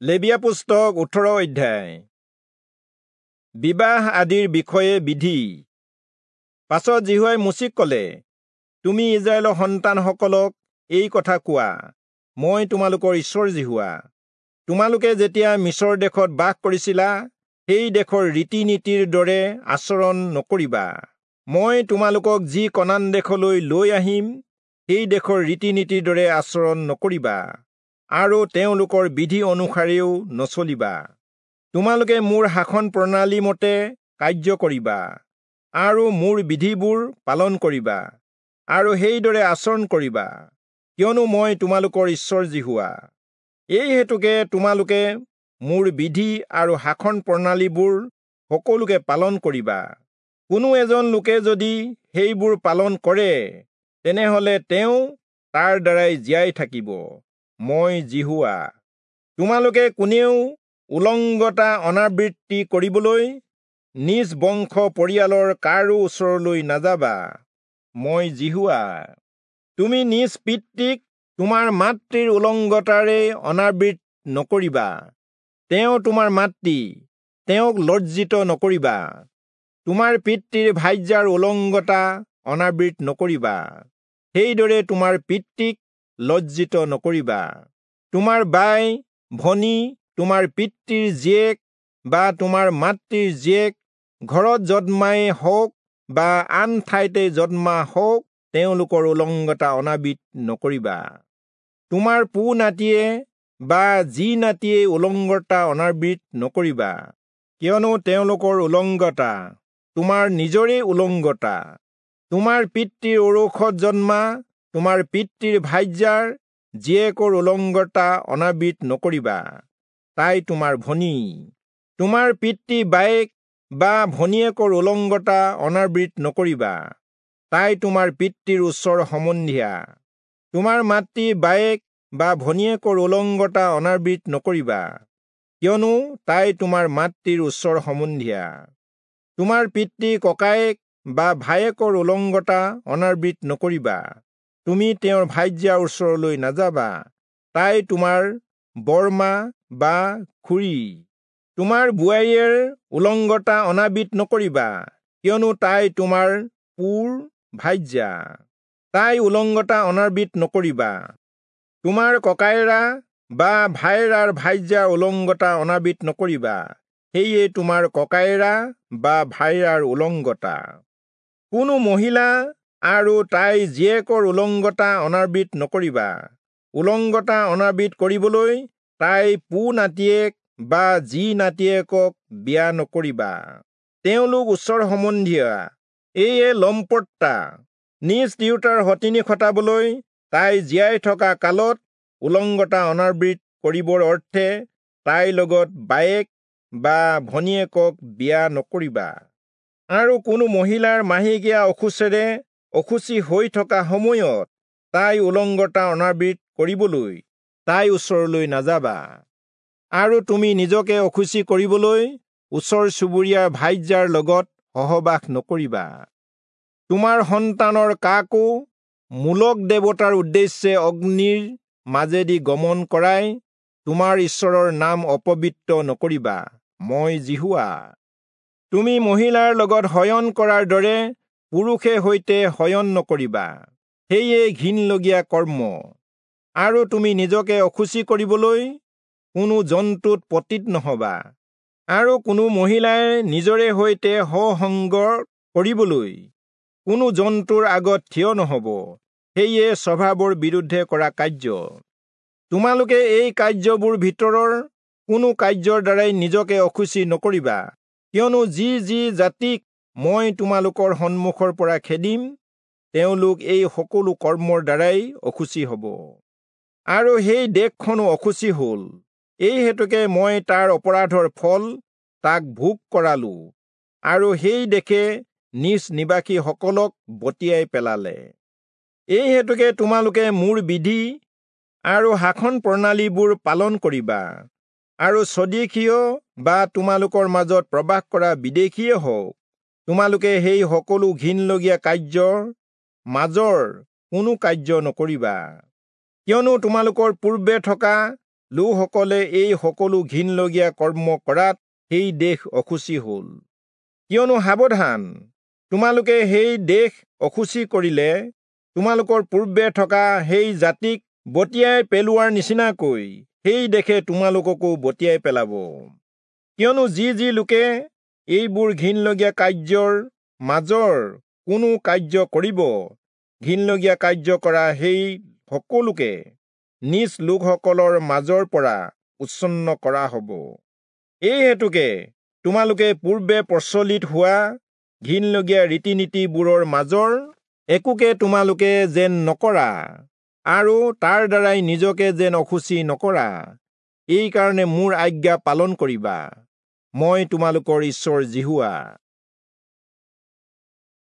লেবীয়া পুস্তক 18 অধ্যায়। বিবাহ আদিৰ বিষয়ে বিধি। পাছত যিহোৱাই মোচিক ক'লে, তুমি ইস্ৰায়েলৰ সন্তানসকলক এই কথা কোৱা, মই তোমালোকৰ ঈশ্বৰ যিহোৱা। তোমালোকে যেতিয়া মিচৰ দেশত বাস কৰিছিলা, সেই দেশৰ ৰীতি নীতিৰ দৰে আচৰণ নকৰিবা। মই তোমালোকক যি কনান দেশলৈ লৈ আহিম, সেই দেশৰ ৰীতি নীতিৰ দৰে আচৰণ নকৰিবা আৰু তেওঁলোকৰ বিধি অনুসাৰেও নচলিবা। তোমালোকে মোৰ শাসন প্ৰণালী মতে কাৰ্য কৰিবা আৰু মোৰ বিধিবোৰ পালন কৰিবা আৰু সেইদৰে আচৰণ কৰিবা, কিয়নো মই তোমালোকৰ ঈশ্বৰ যিহোৱা। এই হেতুকে তোমালোকে মোৰ বিধি আৰু শাসন প্ৰণালীবোৰ সকলোকে পালন কৰিবা। কোনো এজন লোকে যদি সেইবোৰ পালন কৰে, তেনেহলে তেওঁ তাৰ দ্বাৰাই জীয়াই থাকিব। মই যিহোৱা। তোমালোকে কোনেও উলংগতা অনাবৃত্তি কৰিবলৈ নিজ বংশ পৰিয়ালৰ কাৰো ওচৰলৈ নাযাবা। মই যিহোৱা। তুমি নিজ পিতৃক তোমাৰ মাতৃৰ উলংগতাৰে অনাবৃত নকৰিবা। তেওঁ তোমাৰ মাতৃ, তেওঁক লজ্জিত নকৰিবা। তোমাৰ পিতৃৰ ভাৰ্যাৰ উলংগতা অনাবৃত নকৰিবা, সেইদৰে তোমাৰ পিতৃক লজ্জিত নকৰিবা। তোমাৰ বাই ভনী, তোমাৰ পিতৃৰ জীয়েক বা তোমাৰ মাতৃৰ জীয়েক, ঘৰত জন্মাই হওক বা আন ঠাইতে জন্মা হওক, তেওঁলোকৰ উলংগতা অনাবৃত নকৰিবা। তোমাৰ পু নাতিয়ে বা যি নাতিয়ে উলংগতা অনাবৃত নকৰিবা, কিয়নো তেওঁলোকৰ উলংগতা তোমাৰ নিজৰেই উলংগতা। তোমাৰ পিতৃৰ ঔৰসত জন্মা তোমাৰ পিতৃৰ ভাৰ্যাৰ জীয়েকৰ উলংগতা অনাবৃত নকৰিবা, তাই তোমাৰ ভনী। তোমাৰ পিতৃ বায়েক বা ভনীয়েকৰ উলংগতা অনাবৃত নকৰিবা, তাই তোমাৰ পিতৃৰ ওচৰ সম্বন্ধীয়া। তোমাৰ মাতৃ বায়েক বা ভনীয়েকৰ উলংগতা অনাবৃত নকৰিবা, কিয়নো তাই তোমাৰ মাতৃৰ ওচৰ সম্বন্ধীয়া। তোমাৰ পিতৃ ককায়েক বা ভায়েকৰ উলংগতা অনাবৃত নকৰিবা, তুমি তেওঁৰ ভাৰ্যাৰ ওচৰলৈ নাযাবা, তাই তোমাৰ বৰমা বা খুৰী। তোমাৰ বোৱাৰীয়েৰ উলংগতা অনাবৃত নকৰিবা, কিয়নো তাই তোমাৰ পুৰ ভাৰ্যা, তাই উলংগতা অনাবৃত নকৰিবা। তোমাৰ ককায়েৰা বা ভায়েৰাৰ ভাৰ্যাৰ উলংগতা অনাবৃত নকৰিবা, সেয়ে তোমাৰ ককায়েৰা বা ভায়েৰাৰ উলংগতা। কোনো মহিলা আৰু তাইৰ জীয়েকৰ উলংগতা অনাবৃত নকৰিবা। উলংগতা অনাবৃত কৰিবলৈ তাই পু নাতিয়েক বা জী নাতিয়েকক বিয়া নকৰিবা, তেওঁলোক ওচৰ সম্বন্ধীয়া, এয়ে লম্পটতা। নিজ তিৰোতাৰ সতিনী খটাবলৈ তাই জীয়াই থকা কালত উলংগতা অনাবৃত কৰিবৰ অৰ্থে তাইৰ লগত বায়েক বা ভনীয়েকক বিয়া নকৰিবা। আৰু কোনো মহিলাৰ মাহেকীয়া অশুচেৰে অশুচি হৈ থকা সময়ত তাই উলংগতা অনাবৃত কৰিবলৈ তাই ওচৰলৈ নাযাবা। আৰু তুমি নিজকে অশুচি কৰিবলৈ ওচৰ চুবুৰীয়াৰ ভাৰ্যাৰ লগত সহবাস নকৰিবা। তোমাৰ সন্তানৰ কাকো মূলক দেৱতাৰ উদ্দেশ্যে অগ্নিৰ মাজেদি গমন কৰাই তোমাৰ ঈশ্বৰৰ নাম অপবিত্ৰ নকৰিবা। মই যিহোৱা। তুমি মহিলাৰ লগত শয়ন কৰাৰ দৰে পুৰুষে সৈতে শয়ন নকৰিবা, সেয়ে ঘিণলগীয়া কৰ্ম। আৰু তুমি নিজকে অশুচি কৰিবলৈ কোনো জন্তুত পতিত নহবা। আৰু কোনো মহিলাই নিজৰে সৈতে সহসংগ কৰিবলৈ কোনো জন্তুৰ আগত থিয় নহব, সেয়ে স্বভাৱৰ বিৰুদ্ধে কৰা কাৰ্য। তোমালোকে এই কাৰ্যবোৰ ভিতৰৰ কোনো কাৰ্যৰ দ্বাৰাই নিজকে অশুচি নকৰিবা, কিয়নো যি যি জাতিক মই তোমালোকৰ সন্মুখৰ পৰা খেদিম, তেওঁলোক এই সকলো কৰ্মৰ দ্বাৰাই অশুচি হব। আৰু সেই দেশখনো অশুচি হল, এই হেতুকে মই তাৰ অপৰাধৰ ফল তাক ভোগ কৰালো, আৰু সেই দেশে নিজ নিবাসীসকলক বটিয়াই পেলালে। এই হেতুকে তোমালোকে মোৰ বিধি আৰু শাসন প্ৰণালীবোৰ পালন কৰিবা, আৰু স্বদেশীয় বা তোমালোকৰ মাজত প্ৰবাস কৰা বিদেশীয়ে হওক, তোমালোকে সেই সকলো ঘিণলগীয়া কাৰ্যৰ মাজৰ কোনো কাৰ্য নকৰিবা। কিয়নো তোমালোকৰ পূৰ্বে থকা লোকসকলে এই সকলো ঘিণলগীয়া কৰ্ম কৰাত সেই দেশ অশুচি হ'ল। কিয়নো সাৱধান, তোমালোকে সেই দেশ অশুচি কৰিলে তোমালোকৰ পূৰ্বে থকা সেই জাতিক বটিয়াই পেলোৱাৰ নিচিনাকৈ সেই দেশে তোমালোককো বটিয়াই পেলাব। কিয়নো যি যি লোকে এইবোৰ ঘিণলগীয়া কাৰ্যৰ মাজৰ কোনো কাৰ্য কৰিব, ঘিণলগীয়া কাৰ্য কৰা সেই সকলোকে নিজ লোকসকলৰ মাজৰ পৰা উচ্ছন্ন কৰা হ'ব। এই হেতুকে তোমালোকে পূৰ্বে প্ৰচলিত হোৱা ঘিণলগীয়া ৰীতি নীতিবোৰৰ মাজৰ একোকে তোমালোকে যেন নকৰা আৰু তাৰ দ্বাৰাই নিজকে যেন অশুচি নকৰা, এইকাৰণে মোৰ আজ্ঞা পালন কৰিবা। মই তোমালোকৰ ঈশ্বৰ যিহোৱা।